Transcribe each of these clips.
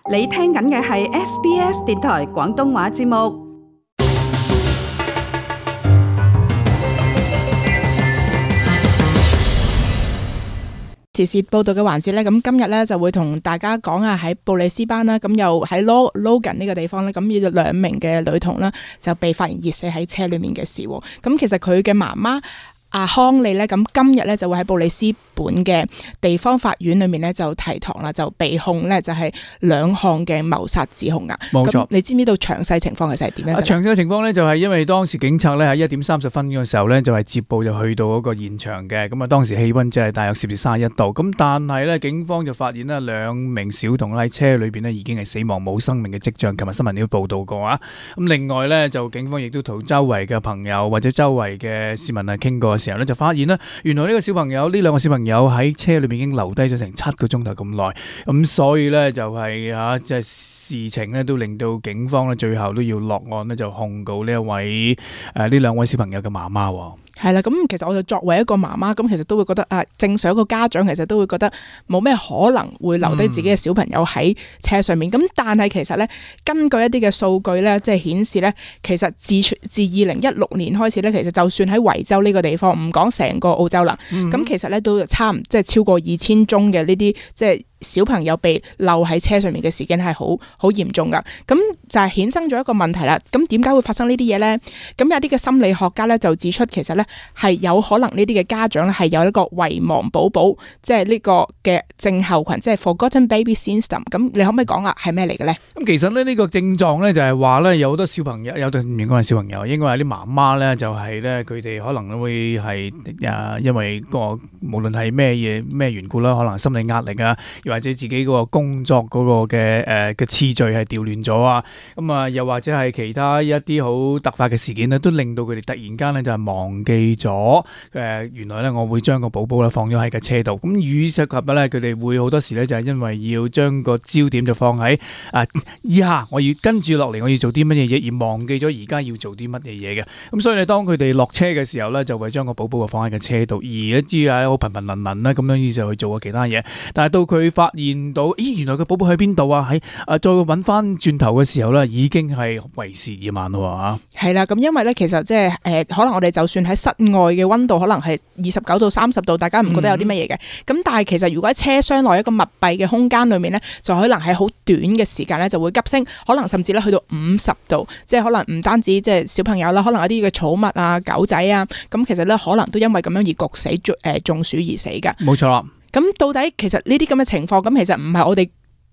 你聽緊嘅係 SBS 電台廣東話節目。時事報道嘅環節咧，咁今日咧就會同大家講下喺布里斯班啦，咁又喺 Logan 呢個地方咧，咁有兩名嘅女童啦就被發現熱死喺車裏面嘅事。咁其實佢嘅媽媽阿康利咧，咁今日咧就會喺布里斯本嘅地方法院裏面咧就提堂啦，就被控咧就係兩項嘅謀殺指控啊。冇錯，你知唔知道詳細情況其實係點樣？詳細情況咧就係因為當時警察咧喺1:30嘅時候咧就係接報就去到嗰個現場嘅，咁啊當時氣溫即係大約攝氏31度，咁但係咧警方就發現咧兩名小童喺車裏邊咧已經係死亡冇生命嘅跡象，琴日新聞都報道過啊。咁另外咧就警方亦都同周圍嘅朋友或者周圍嘅市民啊傾過嘅時候咧就發現咧原來呢個小朋友呢兩個小朋友喺車裏邊已經留低咗成7個鐘頭咁耐，咁所以咧就係即係事情咧都令到警方咧最後都要落案咧就控告呢一位呢兩位小朋友嘅媽媽。係啦，咁其實我就作為一個媽媽，咁其實都會覺得正常一個家長其實都會覺得冇咩可能會留低自己嘅小朋友喺車上面。咁但係其實咧，根據一啲嘅數據咧，即係顯示咧，其實自2016年開始咧，其實就算喺維州呢個地方，唔講成個澳洲啦，咁其實咧都即係超過2000宗嘅呢啲即係小朋友被留喺車上面嘅事件係好嚴重噶。咁就係衍生咗一個問題啦。咁點解會發生呢啲嘢呢？咁有啲嘅心理學家咧就指出，其實咧係有可能呢啲嘅家長咧係有一個遺忘寶寶，即係呢個嘅症候群，即係 Forgotten Baby Syndrome。咁你可唔可以講下係咩嚟嘅呢？咁其實咧呢個症狀咧就係話咧有好多小朋友，唔應該係小朋友，應該係啲媽媽咧就係咧佢哋可能會係因為無論係咩緣故啦，可能心理壓力啊，或者自己嗰個工作嗰個嘅次序係調亂咗啊，咁啊又或者係其他一啲好突發嘅事件咧，都令到佢哋突然間咧就係忘記咗原來咧我會將個寶寶咧放咗喺架車度。咁於是及咧佢哋會好多時咧就係因為要將個焦點就放喺以下我要跟住落嚟我要做啲乜嘢嘢，而忘記咗而家要做啲乜嘢嘢嘅。咁所以咧當佢哋落車嘅時候咧就會將個寶寶放喺架車度，而一知啊好頻輪啦咁樣於是去做其他嘢。但係到佢發現到原來個寶寶喺邊度啊？喺再揾翻轉頭嘅時候咧，已經係為時已晚咯嚇。係啦，咁因為咧，其實即係可能我哋就算喺室外嘅溫度可能係29到30度，大家唔覺得有啲乜嘢嘅。咁但係其實如果喺車廂內一個密閉嘅空間裏面咧，就可能喺好短嘅時間咧就會急升，可能甚至咧去到50度，即係可能唔單止即係小朋友啦，可能一啲嘅寵物啊、狗仔啊，咁其實咧可能都因為咁樣而焗死、中暑而死㗎。冇錯啦。咁到底其實呢啲咁嘅情況，咁其實唔係我哋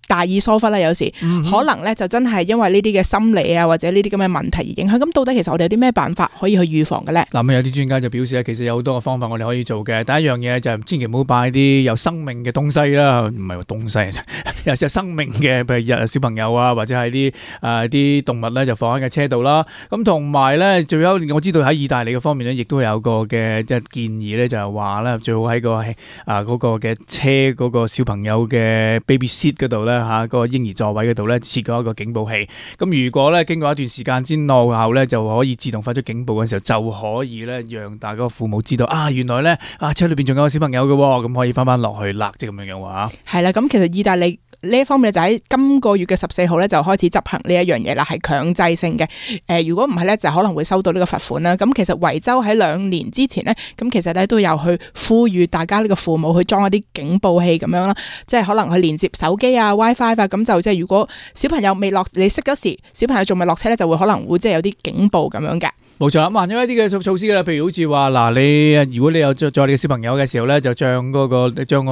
大意疏忽啦，有時可能咧就真係因為呢啲嘅心理啊，或者呢啲咁嘅問題而影響。咁到底其實我哋有啲咩辦法可以去預防嘅咧？嗱，有啲專家就表示咧，其實有好多個方法我哋可以做嘅。第一樣嘢就係千祈唔好擺啲有生命嘅東西啦，唔係話東西，有時生命嘅，譬如小朋友啊，或者係啲動物咧，就放喺架車度啦。咁同埋咧，最有我知道喺意大利嘅方面咧，亦都有個嘅即係建議咧，就係話咧最好喺嗰個嘅車嗰個小朋友嘅 baby seat 嗰度咧。個嬰兒座位嗰度咧設過一個警報器，咁如果咧經過一段時間之後咧就可以自動發出警報嘅時候，就可以咧讓大家父母知道原來咧車裏邊仲有個小朋友嘅，咁可以翻落去啦，即係咁樣嘅話。係啦，咁其實意大利呢一方面就喺今個月嘅14號咧就開始執行呢一樣嘢啦，係強制性嘅。如果唔係咧，就可能會收到呢個罰款啦。咁其實維州喺2年之前咧，咁其實咧都有去呼籲大家呢個父母去裝一啲警報器咁樣啦，即係可能去連接手機啊、WiFi 啊，咁就即係如果小朋友未落，你熄咗時，小朋友仲未落車咧，就會可能會即係有啲警報咁樣嘅。冇錯，咁有一啲嘅措施啦，譬如好似話你如果你有載你嘅小朋友嘅時候咧，就將個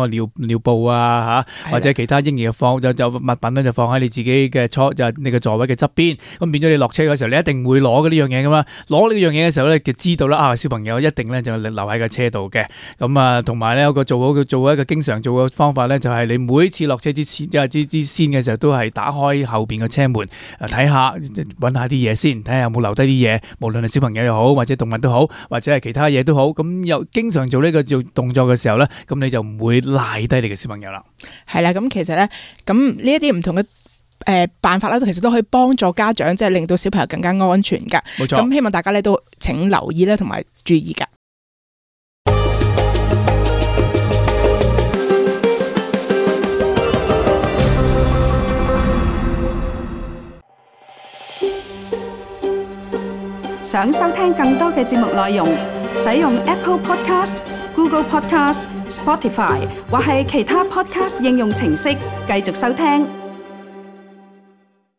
尿布啊或者其他嬰兒嘅就物品咧就放喺你自己嘅你嘅座位嘅側邊，咁變咗你落車嘅時候，你一定會攞嘅呢樣嘢噶嘛。攞呢樣嘢嘅時候咧，就知道啦小朋友一定咧就留喺個車度嘅。咁同埋咧有個做好一個經常做嘅方法咧，就係你每次落車之前之先嘅時候，都係打開後邊嘅車門睇下揾下啲嘢先，睇下有冇留低啲嘢，無論係小朋友又好，或者動物都好，或者係其他嘢都好，咁又經常做呢個動作嘅時候咧，咁你就唔會賴低你嘅小朋友啦。係啦，咁其實咧，咁呢一啲唔同嘅辦法咧，其實都可以幫助家長，即係令到小朋友更加安全噶。冇錯，咁希望大家咧都請留意咧，同埋注意噶。想收聽更多嘅節目內容，使用 Apple Podcast、Google Podcast、Spotify 或係其他 Podcast 應用程式繼續收聽。